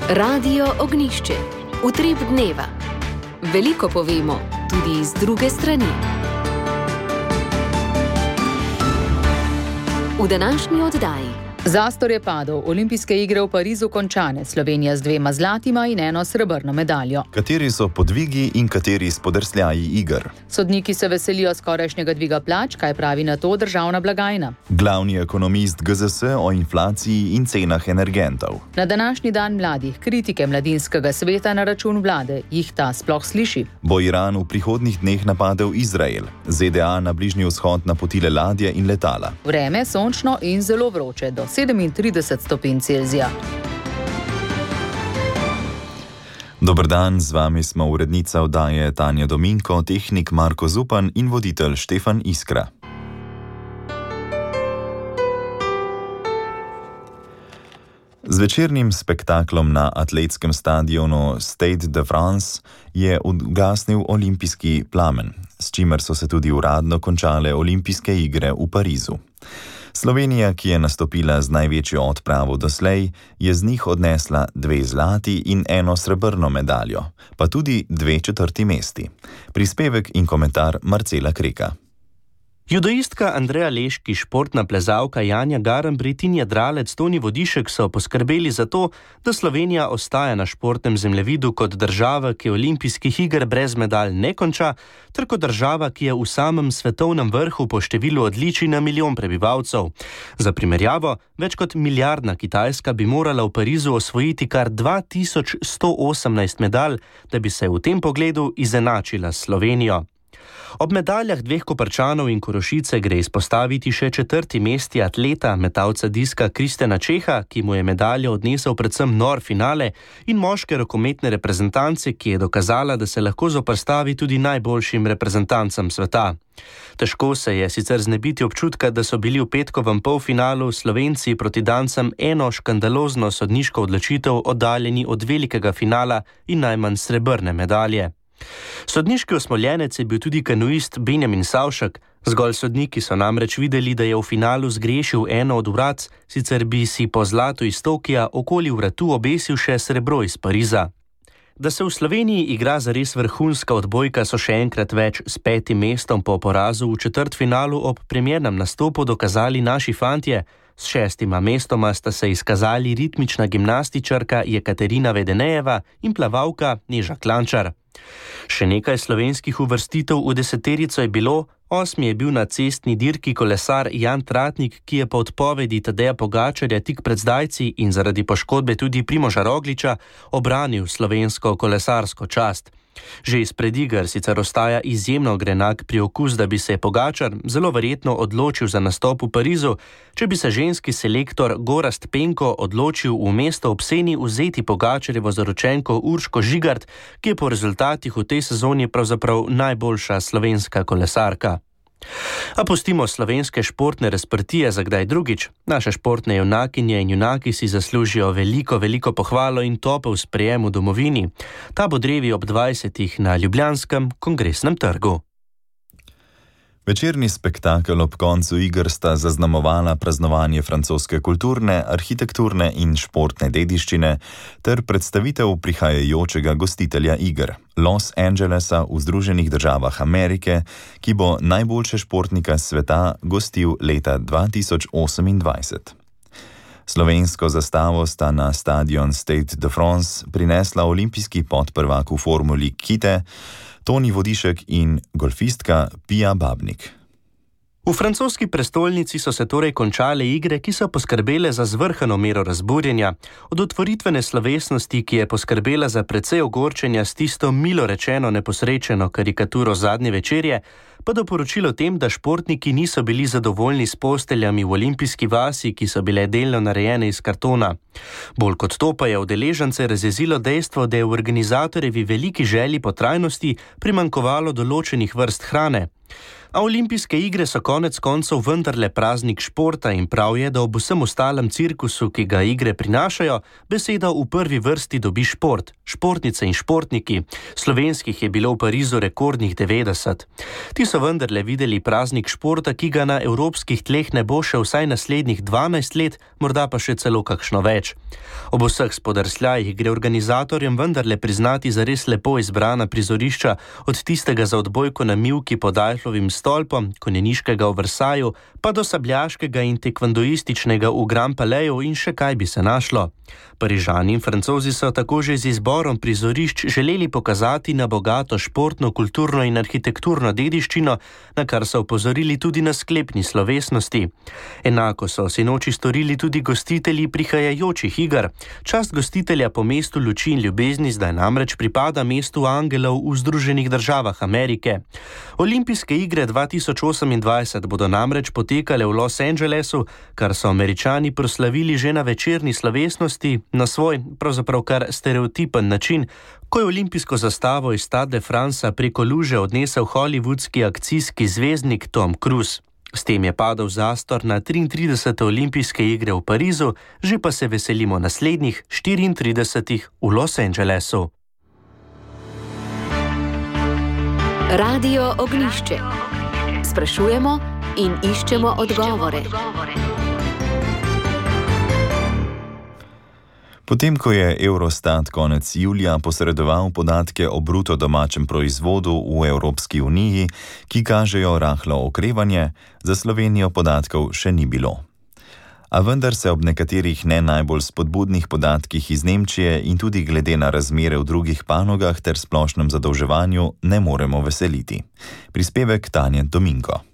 Radio Ognjišče. Utrip dneva. Veliko povemo, tudi iz druge strani. V današnji oddaji. Zastor je padel, olimpijske igre v Parizu končane, Slovenija z 2 zlatima in 1 srebrno medaljo. Kateri so podvigi in kateri spodrsljaji iger? Sodniki se veselijo skorajšnjega dviga plač, kaj pravi na to državna blagajna. Glavni ekonomist GZS o inflaciji in cenah energentov. Na današnji dan mladih kritike mladinskega sveta na račun vlade, jih ta sploh sliši. Bo Iran v prihodnjih dneh napadel Izrael, ZDA na Bližnji vzhod napotile ladje in letala. Vreme sončno in zelo vroče, do 37 stopinj Celzija. Dober dan, z vami smo urednica oddaje Tanja Dominko, tehnik Marko Zupan in voditelj Štefan Iskra. Z večernim spektaklom na atletskem stadionu Stade de France je ugasnil olimpijski plamen, s čimer so se tudi uradno končale olimpijske igre v Parizu. Slovenija, ki je nastopila z največjo odpravo doslej, je z njih odnesla 2 zlati in 1 srebrno medaljo, pa tudi 2 četrti mesti. Prispevek in komentar Marcela Kreka. Judoistka Andreja Leški, športna plezalka Janja Garnbret in jadralec Toni Vodišek so poskrbeli za to, da Slovenija ostaja na športnem zemljevidu kot država, ki olimpijskih iger brez medalj ne konča, ter kot država, ki je v samem svetovnem vrhu po številu odličij na milijon prebivalcev. Za primerjavo, več kot milijardna Kitajska bi morala v Parizu osvojiti kar 2118 medalj, da bi se v tem pogledu izenačila s Slovenijo. Ob medaljah 2 Koprčanov in Korošice gre izpostaviti še 4. mesti atleta, metalca diska Kristjana Čeha, ki mu je medaljo odnesel predvsem nor finale, in moške rokometne reprezentance, ki je dokazala, da se lahko zoperstavi tudi najboljšim reprezentancam sveta. Težko se je sicer znebiti občutka, da so bili v petkovem polfinalu Slovenci proti Dancem eno škandalozno sodniško odločitev oddaljeni od velikega finala in najmanj srebrne medalje. Sodniški osmoljenec je bil tudi kanuist Benjamin Savšek. Zgolj sodniki so namreč videli, da je v finalu zgrešil eno od vrat, sicer bi si po zlatu iz Tokija okoli vratu obesil še srebro iz Pariza. Da se v Sloveniji igra zares vrhunska odbojka, so še enkrat več s 5. mestom po porazu v četrtfinalu ob premiernem nastopu dokazali naši fantje. S 6. mestoma sta se izkazali ritmična gimnastičarka Jekaterina Vedenejeva in plavalka Neža Klančar. Še nekaj slovenskih uvrstitev v 10-terico je bilo. 8. je bil na cestni dirki kolesar Jan Tratnik, ki je po odpovedi Tadeja Pogačarja tik pred zdajci in zaradi poškodbe tudi Primoža Rogliča obranil slovensko kolesarsko čast. Že izpred iger sicer ostaja izjemno grenak priokus, da bi se Pogačar zelo verjetno odločil za nastop v Parizu, če bi se ženski selektor Gorazd Penko odločil v mesto ob Seni vzeti Pogačarjevo zaročenko Urško Žigart, ki je po rezultatih v tej sezoni pravzaprav najboljša slovenska kolesarka. A pustimo slovenske športne razprtije za kdaj drugič. Naše športne junakinje in junaki si zaslužijo veliko pohvalo in topel sprejem v domovini. Ta bo drevi ob 20. na Ljubljanskem kongresnem trgu. Večerni spektakel ob koncu iger sta zaznamovala praznovanje francoske kulturne, arhitekturne in športne dediščine ter predstavitev prihajajočega gostitelja iger, Los Angelesa v Združenih državah Amerike, ki bo najboljše športnika sveta gostil leta 2028. Slovensko zastavo sta na stadion Stade de France prinesla olimpijski podprvak v formuli kite, Toni Vodišek in golfistka Pia Babnik. V francoski prestolnici so se torej končale igre, ki so poskrbele za zvrhano mero razburjenja. Od otvoritvene slovesnosti, ki je poskrbela za precej ogorčenja s tisto milo rečeno neposrečeno karikaturo zadnje večerje, pa do poročilo tem, da športniki niso bili zadovoljni s posteljami v olimpijski vasi, ki so bile delno narejene iz kartona. Bolj kot to pa je udeležence razjezilo dejstvo, da je v organizatorjevi veliki želji po trajnosti primanjkovalo določenih vrst hrane. A olimpijske igre so konec koncev vendarle praznik športa in prav je, da ob vsem ostalem cirkusu, ki ga igre prinašajo, besedo v prvi vrsti dobi šport, športnice in športniki. Slovenskih je bilo v Parizu rekordnih 90. Ti so vendarle videli praznik športa, ki ga na evropskih tleh ne bo še vsaj naslednjih 12 let, morda pa še celo kakšno več. Ob vseh spodrsljajih gre organizatorjem vendarle priznati za res lepo izbrana prizorišča, od tistega za odbojko na mivki pod Eifflovim stolpom, konjeniškega v Versaju, pa do sabljaškega in tekvandoističnega v Grand Palayu in še kaj bi se našlo. Parižani in Francozi so tako že z izborom prizorišč želeli pokazati na bogato športno, kulturno in arhitekturno dediščino, na kar so opozorili tudi na sklepni slovesnosti. Enako so sinoči storili tudi gostitelji prihajajočih iger. Čast gostitelja po mestu luči in ljubezni zdaj namreč pripada mestu angelov v Združenih državah Amerike. Olimpijske igre 2028 bodo namreč potekale v Los Angelesu, kar so Američani proslavili že na večerni slovesnosti, na svoj, pravzaprav kar stereotipen način, ko je olimpijsko zastavo iz Stade de France preko luže odnesel hollywoodski akcijski zvezdnik Tom Cruise. S tem je padel zastor na 33. olimpijske igre v Parizu, že pa se veselimo naslednjih 34 v Los Angelesu. Radio Ognjišče. Sprašujemo in iščemo odgovore. Potem, ko je Eurostat konec julija posredoval podatke o bruto domačem proizvodu v Evropski uniji, ki kažejo rahlo okrevanje, za Slovenijo podatkov še ni bilo. A vendar se ob nekaterih ne najbolj spodbudnih podatkih iz Nemčije in tudi glede na razmere v drugih panogah ter splošnem zadolževanju ne moremo veseliti. Prispevek Tanje Dominko.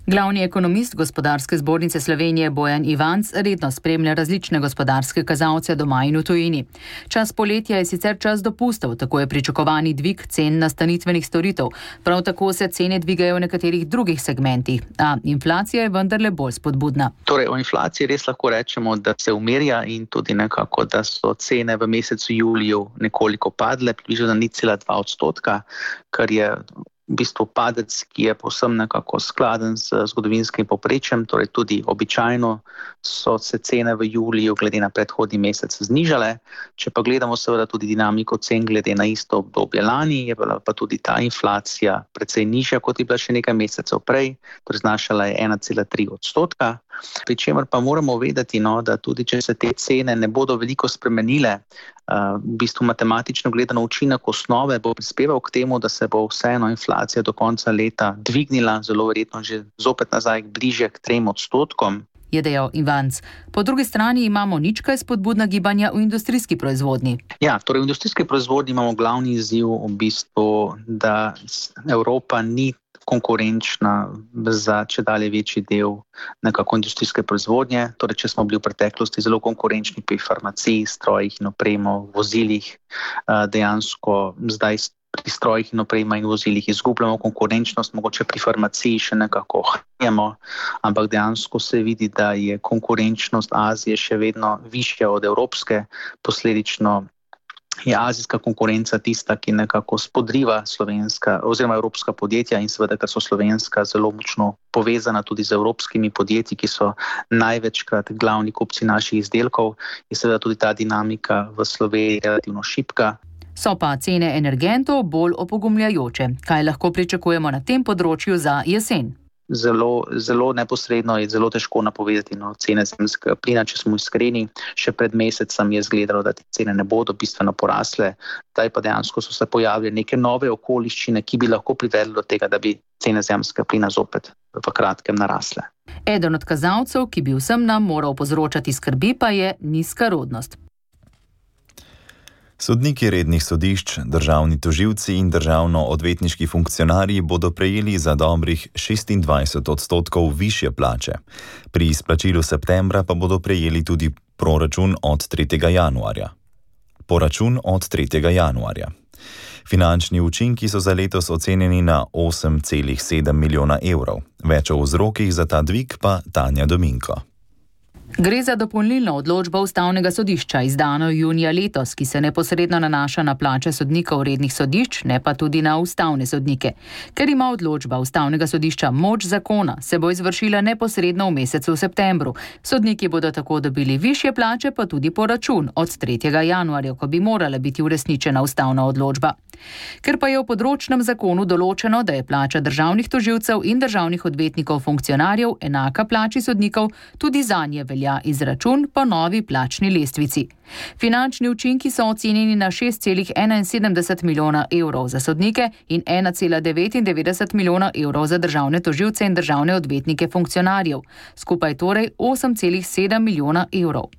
Glavni ekonomist Gospodarske zbornice Slovenije Bojan Ivanc redno spremlja različne gospodarske kazalce doma in v tujini. Čas poletja je sicer čas dopustov, tako je pričakovani dvig cen nastanitvenih storitev. Prav tako se cene dvigajo v nekaterih drugih segmentih, a inflacija je vendarle bolj spodbudna. Torej, o inflaciji res lahko rečemo, da se umirja in tudi nekako, da so cene v mesecu juliju nekoliko padle, približno 0,2%, kar je v bistvu padec, ki je povsem nekako skladen z zgodovinskim povprečjem, torej tudi običajno so se cene v juliju glede na predhodni mesec znižale. Če pa gledamo seveda tudi dinamiko cen glede na isto obdobje lani, je bila pa tudi ta inflacija precej nižja, kot je bila še nekaj mesecev prej, torej znašala je 1,3%. Pri čemer pa moramo vedeti, da tudi če se te cene ne bodo veliko spremenile, v bistvu matematično gledano učinek osnove bo prispeval k temu, da se bo vseeno inflacija do konca leta dvignila, zelo verjetno že zopet nazaj bliže k 3%. Je dejal Ivanc. Po drugi strani imamo nič kaj spodbudna gibanja v industrijski proizvodnji. Ja, torej v industrijski proizvodnji imamo glavni izziv v bistvu, da Evropa ni konkurenčna za čedalje večji del nekako industrijske proizvodnje. Torej, če smo bili v preteklosti zelo konkurenčni pri farmaciji, strojih in opremo, vozilih, dejansko zdaj pri strojih in oprema in vozilih izgubljamo konkurenčnost, mogoče pri farmaciji še nekako ohranjamo, ampak dejansko se vidi, da je konkurenčnost Azije še vedno višja od evropske, posledično je azijska konkurenca tista, ki nekako spodriva slovenska oziroma evropska podjetja in seveda, ker so slovenska zelo močno povezana tudi z evropskimi podjetji, ki so največkrat glavni kupci naših izdelkov, je seveda tudi ta dinamika v Sloveniji relativno šibka. So pa cene energentov bolj opogumljajoče. Kaj lahko pričakujemo na tem področju za jesen? Zelo neposredno je zelo težko napovedati cene zemeljskega plina, če smo iskreni. Še pred mesecem je izgledalo, da te cene ne bodo bistveno porasle. Zdaj pa dejansko so se pojavile neke nove okoliščine, ki bi lahko privedli do tega, da bi cene zemeljskega plina zopet v kratkem narasle. Eden od kazalcev, ki bi vsem nam moral povzročati skrbi, pa je nizka rodnost. Sodniki rednih sodišč, državni tožilci in državno-odvetniški funkcionarji bodo prejeli za dobrih 26% višje plače. Pri izplačilu septembra pa bodo prejeli tudi proračun od 3. januarja. Finančni učinki so za letos ocenjeni na 8,7 milijona evrov. Več o vzrokih za ta dvig pa Tanja Dominko. Gre za dopolnilno odločbo Ustavnega sodišča, izdano junija letos, ki se neposredno nanaša na plače sodnikov rednih sodišč, ne pa tudi na ustavne sodnike. Ker ima odločba Ustavnega sodišča moč zakona, se bo izvršila neposredno v mesecu septembru. Sodniki bodo tako dobili višje plače, pa tudi poračun od 3. januarja, ko bi morala biti uresničena ustavna odločba. Ker pa je v področnem zakonu določeno, da je plača državnih tožilcev in državnih odvetnikov funkcionarjev enaka plači sodnikov, tudi zanje velja izračun po novi plačni lestvici. Finančni učinki so ocenjeni na 6,71 milijona evrov za sodnike in 1,99 milijona evrov za državne tožilce in državne odvetnike funkcionarjev, skupaj torej 8,7 milijona evrov.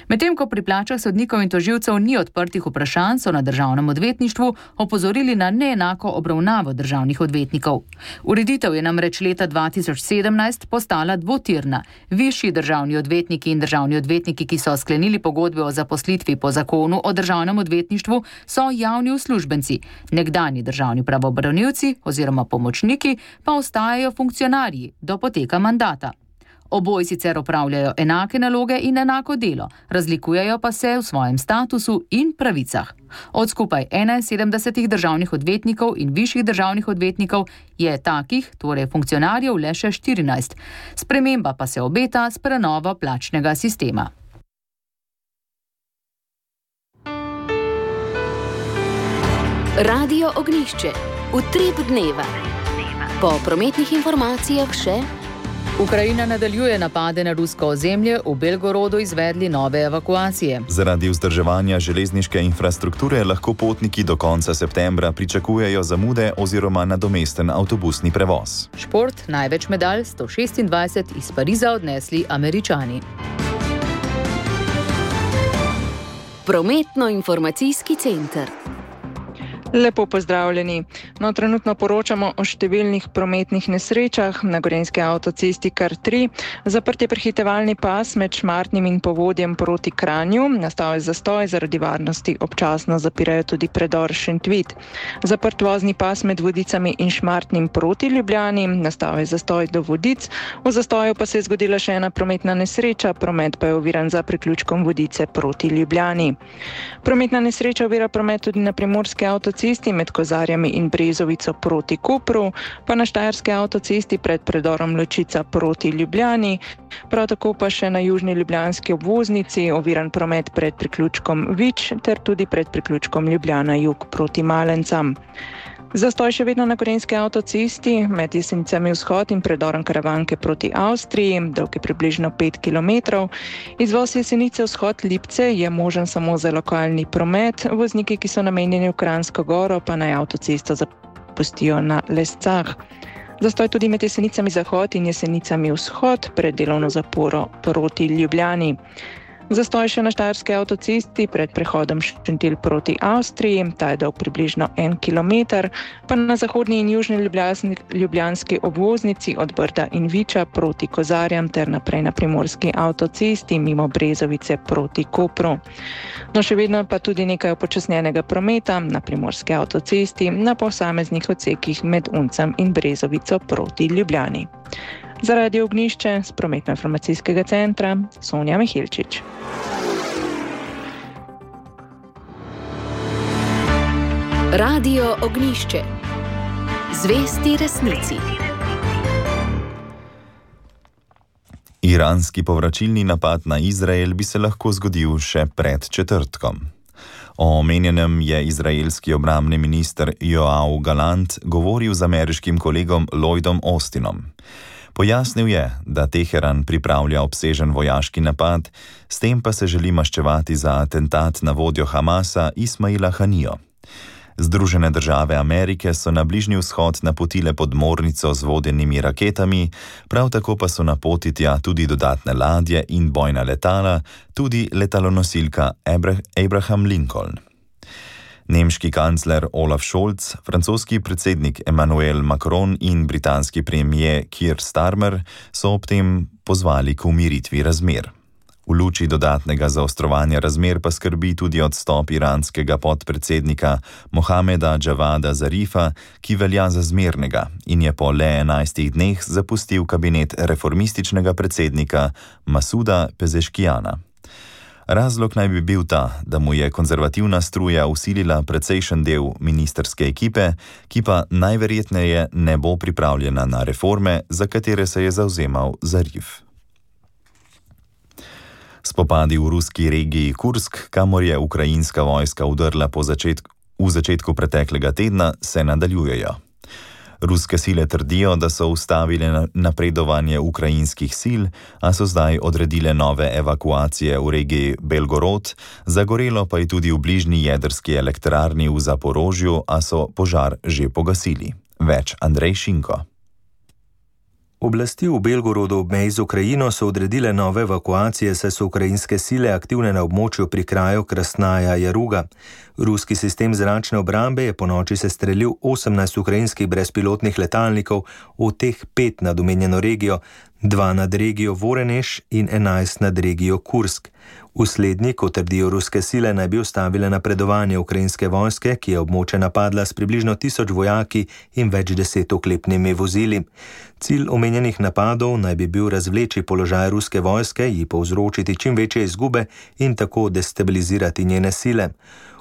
Medtem ko pri plačah sodnikov in tožilcev ni odprtih vprašanj, so na državnem odvetništvu opozorili na neenako obravnavo državnih odvetnikov. Ureditev je namreč leta 2017 postala dvotirna. Višji državni odvetniki in državni odvetniki, ki so sklenili pogodbe o zaposlitvi po zakonu o državnem odvetništvu, so javni uslužbenci. Nekdanji državni pravobranilci oziroma pomočniki pa ostajajo funkcionarji do poteka mandata. Oboji sicer opravljajo enake naloge in enako delo, razlikujejo pa se v svojem statusu in pravicah. Od skupaj 71 državnih odvetnikov in višjih državnih odvetnikov je takih, torej funkcionarjev, le še 14. Sprememba pa se obeta s prenovo plačnega sistema. Radio Ognjišče. Utrip dneva. Po prometnih informacijah še... Ukrajina nadaljuje napade na rusko ozemlje, v Belgorodu izvedli nove evakuacije. Zaradi vzdrževanja železniške infrastrukture lahko potniki do konca septembra pričakujejo zamude oziroma nadomesten avtobusni prevoz. Šport, največ medalj, 126, iz Pariza odnesli Američani. Prometno-informacijski center. Lepo pozdravljeni. Trenutno poročamo o številnih prometnih nesrečah na gorenjski avtocesti kar 3. Zaprt je prehitevalni pas med Šmartnim in Povodjem proti Kranju. Nastal je zastoj, zaradi varnosti občasno zapirajo tudi predor Šentvid. Zaprt vozni pas med Vodicami in Šmartnim proti Ljubljani. Nastal je zastoj do Vodic. V zastoju pa se je zgodila še ena prometna nesreča, promet pa je oviran za priključkom Vodice proti Ljubljani. Prometna nesreča ovira promet tudi na primorski avtocesti med Kozarjami in Brezovico proti Kopru, pa na štajerski avtocesti pred predorom Ločica proti Ljubljani, prav tako pa še na južni ljubljanski obvoznici oviran promet pred priključkom Vič ter tudi pred priključkom Ljubljana jug proti Malencam. Zastoj še vedno na gorenjski avtocesti med Jesenicami vzhod in predorom Karavanke proti Avstriji, dolg je približno 5 km. Izvoz Jesenice vzhod Lipce je možen samo za lokalni promet, vozniki, ki so namenjeni v Kranjsko Goro, pa naj avtocesto zapustijo na Lescah. Zastoj tudi med Jesenicami zahod in Jesenicami vzhod pred delovno zaporo proti Ljubljani. Zastoj še na štajerski avtocesti pred prehodom Šentilj proti Avstriji, ta je dolg približno 1 km, pa na zahodni in južni ljubljanski obvoznici od Brda in Viča proti Kozarjam ter naprej na primorski avtocesti mimo Brezovice proti Kopru. Še vedno pa tudi nekaj upočasnjenega prometa na primorski avtocesti na posameznih odsekih med Uncem in Brezovico proti Ljubljani. Za Radio Ognjišče z prometno-informacijskega centra Sonja Mihilčič. Radio Ognjišče. Zvesti resnici. Iranski povračilni napad na Izrael bi se lahko zgodil še pred četrtkom. O omenjenem je izraelski obrambni minister Yoav Gallant govoril z ameriškim kolegom Lloydom Austinom. Pojasnil je, da Teheran pripravlja obsežen vojaški napad, s tem pa se želi maščevati za atentat na vodjo Hamasa Ismaila Hanijo. Združene države Amerike so na Bližnji vzhod napotile podmornico z vodenimi raketami, prav tako pa so na poti tja tudi dodatne ladje in bojna letala, tudi letalonosilka Abraham Lincoln. Nemški kancler Olaf Scholz, francoski predsednik Emmanuel Macron in britanski premier Keir Starmer so ob tem pozvali k umiritvi razmer. V luči dodatnega zaostrovanja razmer pa skrbi tudi odstop iranskega podpredsednika Mohameda Javada Zarifa, ki velja za zmernega in je po le 11 dneh zapustil kabinet reformističnega predsednika Masuda Pezeškijana. Razlog naj bi bil ta, da mu je konzervativna struja usilila precejšen del ministrske ekipe, ki pa najverjetneje ne bo pripravljena na reforme, za katere se je zavzemal Zarif. Spopadi v ruski regiji Kursk, kamor je ukrajinska vojska vdrla v začetku preteklega tedna, se nadaljujejo. Ruske sile trdijo, da so ustavile napredovanje ukrajinskih sil, a so zdaj odredile nove evakuacije v regiji Belgorod, zagorelo pa je tudi v bližnji jedrski elektrarni v Zaporožju, a so požar že pogasili. Več Andrej Šinko. Oblasti v Belgorodu ob meji z Ukrajino so odredile nove evakuacije, saj so ukrajinske sile aktivne na območju pri kraju Krasnaja Jaruga. Ruski sistem zračne obrambe je ponoči sestrelil 18 ukrajinskih brezpilotnih letalnikov, od teh 5 nad omenjeno regijo, 2 nad regijo Voronezh in 11 nad regijo Kursk. V slednji, kot trdijo ruske sile, naj bi ustavile napredovanje ukrajinske vojske, ki je območje napadla s približno 1000 vojaki in več 10 oklepnimi vozili. Cilj omenjenih napadov naj bi bil razvleči položaj ruske vojske, ji povzročiti čim večje izgube in tako destabilizirati njene sile.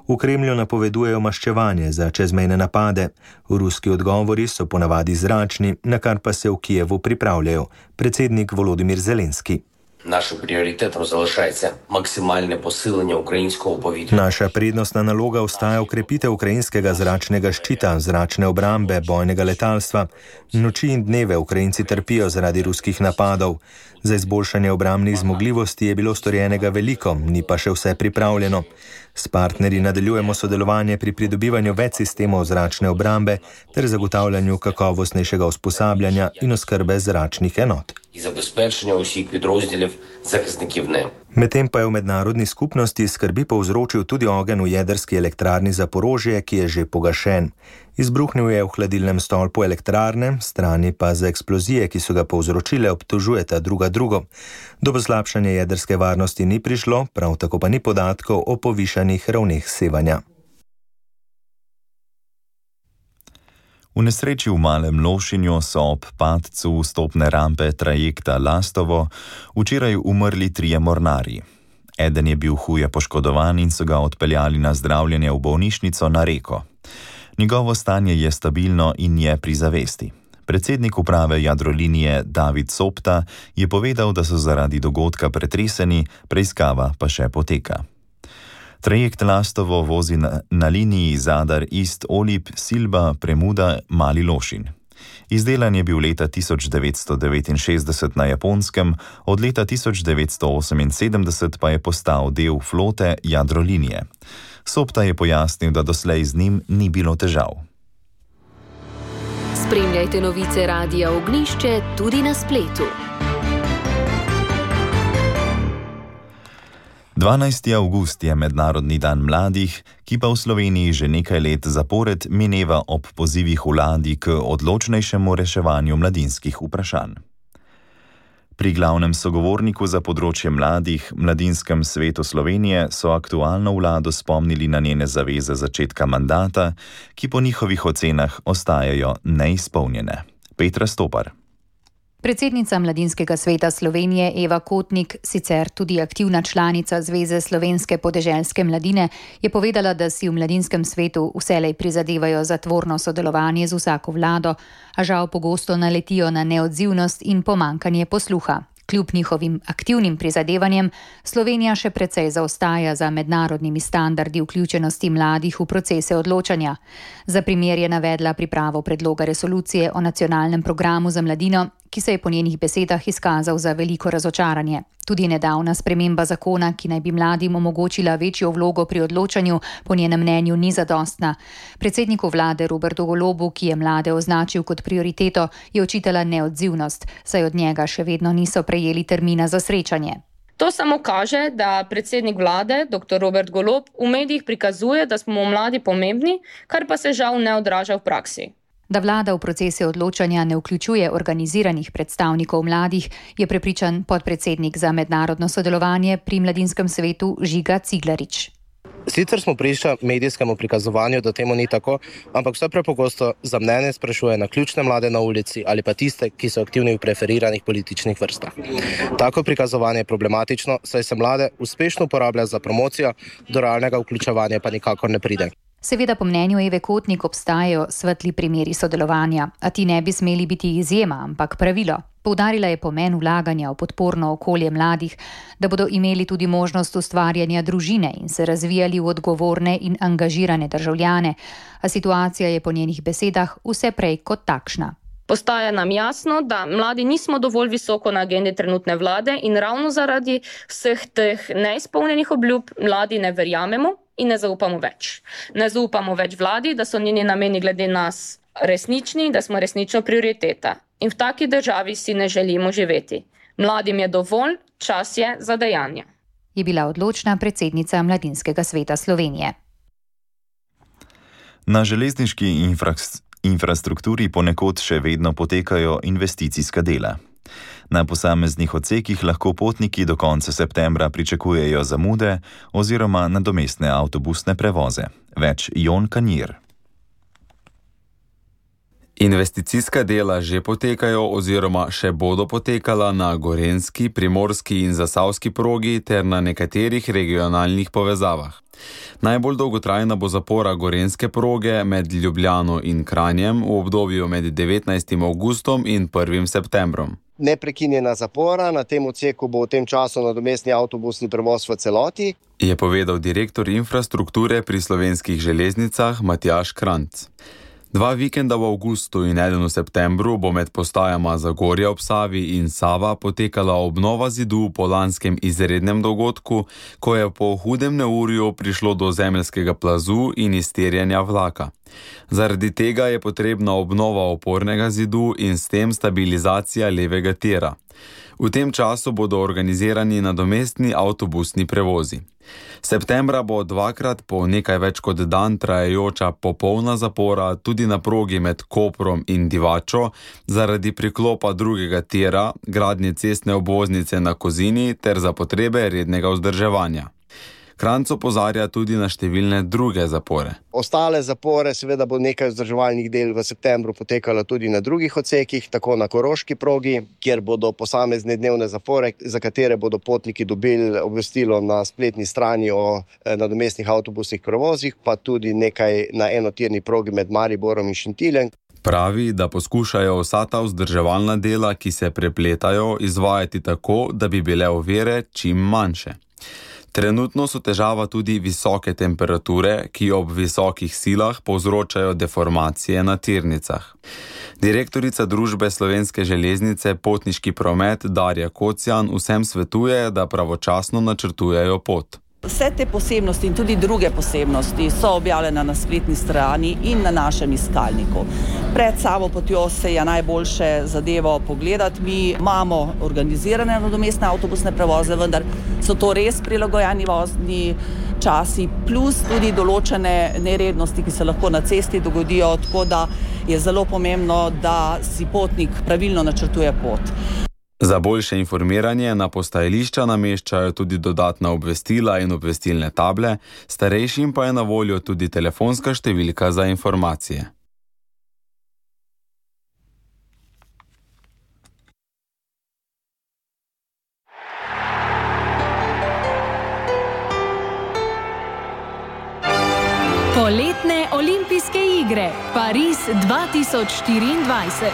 V Kremlju napovedujejo maščevanje za čezmejne napade. Ruski odgovori so ponavadi zračni, na kar pa se v Kijevu pripravljajo. Predsednik Volodymyr Zelenski. Našim prioritetom залишається максимальне посилення українського повітря. Naša prednostna naloga ostaja ukrepitev ukrajinskega zračnega ščita, zračne obrambe, bojnega letalstva. Noči in dneve Ukrajinci trpijo zaradi ruskih napadov. Za izboljšanje obrambnih zmogljivosti je bilo storjenega veliko, ni pa še vse pripravljeno. S partnerji nadaljujemo sodelovanje pri pridobivanju več sistemov zračne obrambe ter zagotavljanju kakovostnejšega usposabljanja in oskrbe zračnih enot. Medtem pa je v mednarodni skupnosti skrbi povzročil tudi ogenj v jedrski elektrarni Zaporožje, ki je že pogašen. Izbruhnil je v hladilnem stolpu elektrarne, strani pa za eksplozije, ki so ga povzročile, obtožujeta drugo. Do poslabšanja jedrske varnosti ni prišlo, prav tako pa ni podatkov o povišanih ravneh sevanja. V nesreči v Malem Lošinju so ob padcu vstopne rampe trajekta Lastovo včeraj umrli 3 mornarji. Eden je bil huje poškodovan in so ga odpeljali na zdravljenje v bolnišnico na Reko. Njegovo stanje je stabilno in je pri zavesti. Predsednik uprave Jadrolinije David Sopta je povedal, da so zaradi dogodka pretreseni, preiskava pa še poteka. Trajekt Lastovo vozi na liniji Zadar-Ist-Olip-Silba-Premuda-Mali Lošin. Izdelan je bil leta 1969 na Japonskem, od leta 1978 pa je postal del flote Jadrolinije. Sopta je pojasnil, da doslej z njim ni bilo težav. Spremljajte novice Radia Ognjišče tudi na spletu. 12. avgust je Mednarodni dan mladih, ki pa v Sloveniji že nekaj let zapored mineva ob pozivih vladi k odločnejšemu reševanju mladinskih vprašanj. Pri glavnem sogovorniku za področje mladih, Mladinskem svetu Slovenije, so aktualno vlado spomnili na njene zaveze začetka mandata, ki po njihovih ocenah ostajajo neizpolnjene. Petra Stopar. Predsednica Mladinskega sveta Slovenije Eva Kotnik, sicer tudi aktivna članica Zveze slovenske podeželske mladine, je povedala, da si v Mladinskem svetu vselej prizadevajo za tvorno sodelovanje z vsako vlado, a žal pogosto naletijo na neodzivnost in pomanjkanje posluha. Kljub njihovim aktivnim prizadevanjem, Slovenija še precej zaostaja za mednarodnimi standardi vključenosti mladih v procese odločanja. Za primer je navedla pripravo predloga resolucije o nacionalnem programu za mladino, ki se je po njenih besedah izkazal za veliko razočaranje. Tudi nedavna sprememba zakona, ki naj bi mladim omogočila večjo vlogo pri odločanju, po njenem mnenju ni zadostna. Predsedniku vlade Robertu Golobu, ki je mlade označil kot prioriteto, je očitala neodzivnost, saj od njega še vedno niso prejeli termina za srečanje. To samo kaže, da predsednik vlade, dr. Robert Golob, v medijih prikazuje, da smo mladi pomembni, kar pa se žal ne odraža v praksi. Da vlada v procese odločanja ne vključuje organiziranih predstavnikov mladih, je prepričan podpredsednik za mednarodno sodelovanje pri Mladinskem svetu Žiga Ciglarič. Sicer smo priča medijskemu prikazovanju, da temu ni tako, ampak vse prepogosto za mnenje sprašuje na ključne mlade na ulici ali pa tiste, ki so aktivni v preferiranih političnih vrstah. Tako prikazovanje je problematično, saj se mlade uspešno uporablja za promocijo, do realnega vključevanja pa nikakor ne pride. Seveda po mnenju Eve Kotnik obstajajo svetli primeri sodelovanja, a ti ne bi smeli biti izjema, ampak pravilo. Poudarila je pomen vlaganja v podporno okolje mladih, da bodo imeli tudi možnost ustvarjanja družine in se razvijali v odgovorne in angažirane državljane, a situacija je po njenih besedah vse prej kot takšna. Postaja nam jasno, da mladi nismo dovolj visoko na agendi trenutne vlade in ravno zaradi vseh teh neizpolnjenih obljub mladi ne verjamemo in ne zaupamo več. Ne zaupamo več vladi, da so njeni nameni glede nas resnični, da smo resnično prioriteta. In v taki državi si ne želimo živeti. Mladim je dovolj, čas je za dejanja. Je bila odločna predsednica Mladinskega sveta Slovenije. Na železniški infrastrukturi ponekod še vedno potekajo investicijska dela. Na posameznih odsekih lahko potniki do konca septembra pričakujejo zamude oziroma nadomestne avtobusne prevoze. Več Jon Kanjir. Investicijska dela že potekajo oziroma še bodo potekala na gorenjski, primorski in zasavski progi ter na nekaterih regionalnih povezavah. Najbolj dolgotrajna bo zapora gorenjske proge med Ljubljano in Kranjem v obdobju med 19. avgustom in 1. septembrom. Neprekinjena zapora, na tem odseku bo v tem času nadomestni avtobusni prevoz v celoti, je povedal direktor infrastrukture pri Slovenskih železnicah Matjaž Kranjc. 2 vikenda v avgustu in 1 v septembru bo med postajama Zagorja ob Savi in Sava potekala obnova zidu po lanskem izrednem dogodku, ko je po hudem neurju prišlo do zemeljskega plazu in izterjanja vlaka. Zaradi tega je potrebna obnova opornega zidu in s tem stabilizacija levega tira. V tem času bodo organizirani nadomestni avtobusni prevozi. Septembra bo 2-krat po nekaj več kot dan trajajoča popolna zapora tudi na progi med Koprom in Divačo zaradi priklopa drugega tira, gradnje cestne obvoznice na Kozini ter za potrebe rednega vzdrževanja. Kranjc opozarja tudi na številne druge zapore. Ostale zapore, seveda bo nekaj vzdrževalnih del v septembru potekalo tudi na drugih odsekih, tako na Koroški progi, kjer bodo posamezne dnevne zapore, za katere bodo potniki dobili obvestilo na spletni strani o nadomestnih avtobusnih prevozih, pa tudi nekaj na enotirni progi med Mariborom in Šentiljem. Pravi, da poskušajo vsa ta vzdrževalna dela, ki se prepletajo, izvajati tako, da bi bile ovire čim manjše. Trenutno so težava tudi visoke temperature, ki ob visokih silah povzročajo deformacije na tirnicah. Direktorica družbe Slovenske železnice Potniški promet Darja Kocjan vsem svetuje, da pravočasno načrtujejo pot. Vse te posebnosti in tudi druge posebnosti so objavljene na spletni strani in na našem iskalniku. Pred samo potjo se je najboljše zadevo pogledati. Mi imamo organizirane nadomestne avtobusne prevoze, vendar so to res prilagojeni vozni časi, plus tudi določene nerednosti, ki se lahko na cesti dogodijo, tako da je zelo pomembno, da si potnik pravilno načrtuje pot. Za boljše informiranje na postajališča nameščajo tudi dodatna obvestila in obvestilne table, starejšim pa je na voljo tudi telefonska številka za informacije. Poletne olimpijske igre Pariz 2024.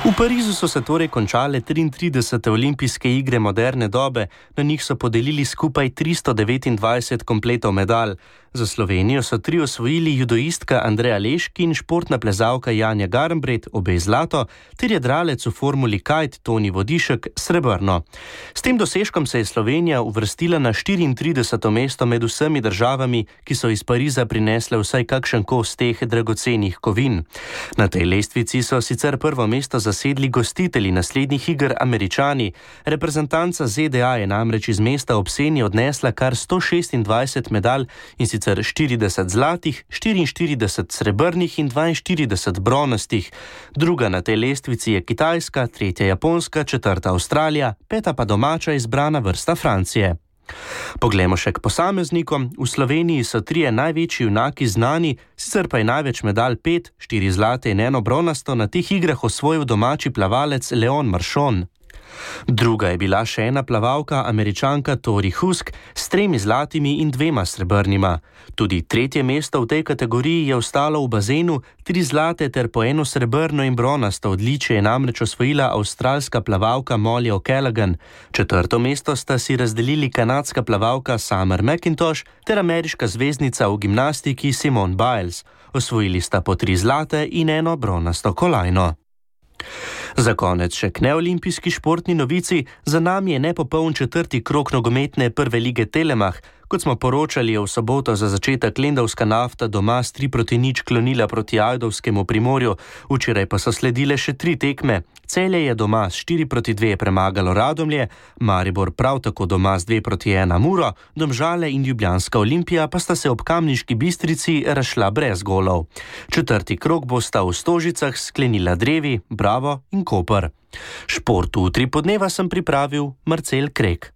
V Parizu so se torej končale 33. olimpijske igre moderne dobe, na njih so podelili skupaj 329 kompletov medalj. Za Slovenijo so 3 osvojili judoistka Andreja Leški in športna plezalka Janja Garnbret, obe zlato, ter jadralec v formuli kite Toni Vodišek srebrno. S tem dosežkom se je Slovenija uvrstila na 34. mesto med vsemi državami, ki so iz Pariza prinesle vsaj kakšen kos teh dragocenih kovin. Na tej lestvici so sicer prvo mesto zasedli gostitelji naslednjih iger Američani. Reprezentanca ZDA je namreč iz mesta ob Seni odnesla kar 126 medalj in sicer sicer 40 zlatih, 44 srebrnih in 42 bronastih. Druga na tej lestvici je Kitajska, tretja Japonska, četrta Avstralija, peta pa domača izbrana vrsta Francije. Poglejmo še k posameznikom. V Sloveniji so 3 največji junaki znani, sicer pa je največ medalj 5, 4 zlate in 1 bronasto na teh igrah osvojil domači plavalec Leon Marchon. Druga je bila še ena plavalka, Američanka Tori Husk, s 3 zlatimi in 2 srebrnima. Tudi tretje mesto v tej kategoriji je ostalo v bazenu, 3 zlate ter po 1 srebrno in bronasto odličje je namreč osvojila avstralska plavalka Molly O'Callaghan. Četrto mesto sta si razdelili kanadska plavalka Summer McIntosh ter ameriška zvezdnica v gimnastiki Simone Biles. Osvojili sta po 3 zlate in 1 bronasto kolajno. Za konec še k neolimpijski športni novici. Za nami je nepopoln 4. krog nogometne prve lige Telemach. Kot smo poročali, je v soboto za začetek lendavska Nafta doma s 3-0 klonila proti ajdovskemu Primorju. Včeraj pa so sledile še 3 tekme. Celje je doma s 4-2 premagalo Radomlje, Maribor prav tako doma s 2-1 Muro, Domžale in Ljubljanska Olimpija pa sta se ob Kamniški Bistrici razšla brez golov. 4. krog bosta v Stožicah sklenila Drevi, Bravo in Koper. Šport v 3 podneva sem pripravil Marcel Krek.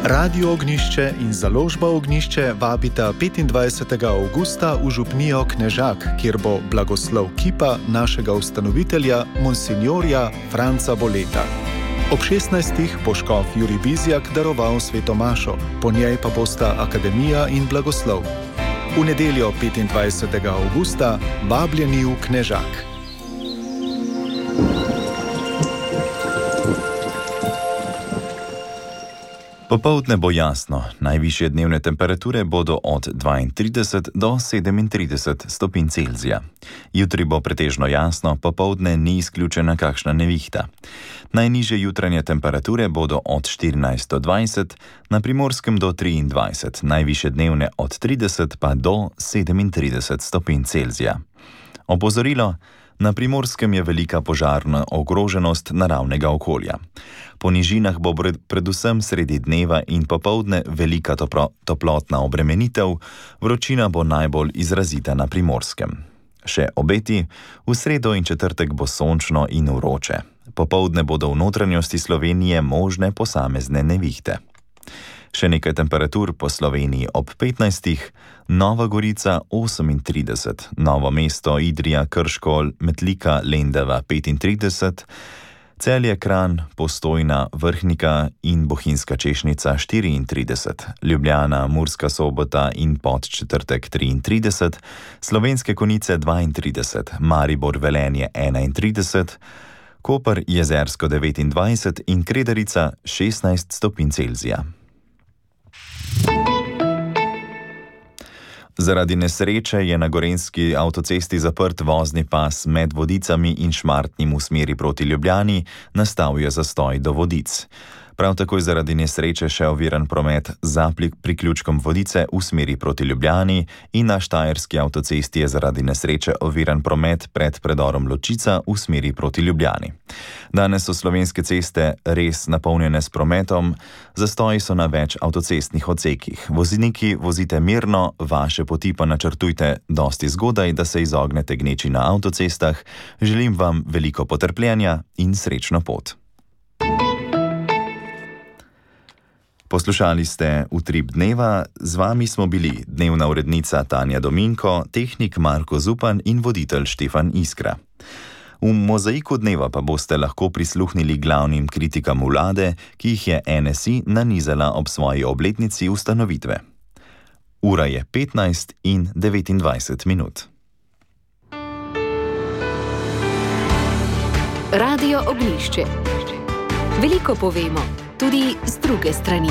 Radio Ognjišče in založba Ognjišče vabita 25. avgusta v župnijo Knežak, kjer bo blagoslov kipa našega ustanovitelja, monsinjorja Franca Boleta. Ob 16. bo škof Jurij Bizjak daroval svetomašo, po njej pa bosta akademija in blagoslov. V nedeljo 25. avgusta vabljeni v Knežak. Popoldne bo jasno, najvišje dnevne temperature bodo od 32 do 37 stopinj Celzija. Jutri bo pretežno jasno, popoldne ni izključena kakšna nevihta. Najnižje jutranje temperature bodo od 14 do 20, na Primorskem do 23, najvišje dnevne od 30 pa do 37 stopinj Celzija. Opozorilo: na Primorskem je velika požarna ogroženost naravnega okolja. Po nižinah bo predvsem sredi dneva in popoldne velika toplotna obremenitev, vročina bo najbolj izrazita na Primorskem. Še obeti: v sredo in četrtek bo sončno in vroče. Popoldne bodo v notranjosti Slovenije možne posamezne nevihte. Še nekaj temperatur po Sloveniji ob 15, Nova Gorica 38, Novo mesto, Idrija, Krško, Metlika, Lendava 35, Celje, Kranj, Postojna, Vrhnika in Bohinjska Češnica 34, Ljubljana, Murska Sobota in Podčetrtek 33, Slovenske Konjice 32, Maribor, Velenje 31, Koper, Jezersko 29 in Kredarica 16 stopinj Celzija. Zaradi nesreče je na gorenjski avtocesti zaprt vozni pas med Vodicami in Šmartnim v smeri proti Ljubljani, nastal je zastoj do Vodic. Prav tako je zaradi nesreče še oviran promet za priključkom Vodice v smeri proti Ljubljani in na štajerski avtocesti je zaradi nesreče oviran promet pred predorom Ločica v smeri proti Ljubljani. Danes so slovenske ceste res napolnjene s prometom, zastoji so na več avtocestnih odsekih. Vozniki, vozite mirno, vaše poti pa načrtujte dosti zgodaj, da se izognete gneči na avtocestah. Želim vam veliko potrpljenja in srečno pot. Poslušali ste Utrip dneva, z vami smo bili dnevna urednica Tanja Dominko, tehnik Marko Zupan in voditelj Štefan Iskra. V mozaiku dneva pa boste lahko prisluhnili glavnim kritikam vlade, ki jih je NSI nanizala ob svoji obletnici ustanovitve. Ura je 15 in 29 minut. Radio Ognjišče. Veliko povemo, tudi z druge strani.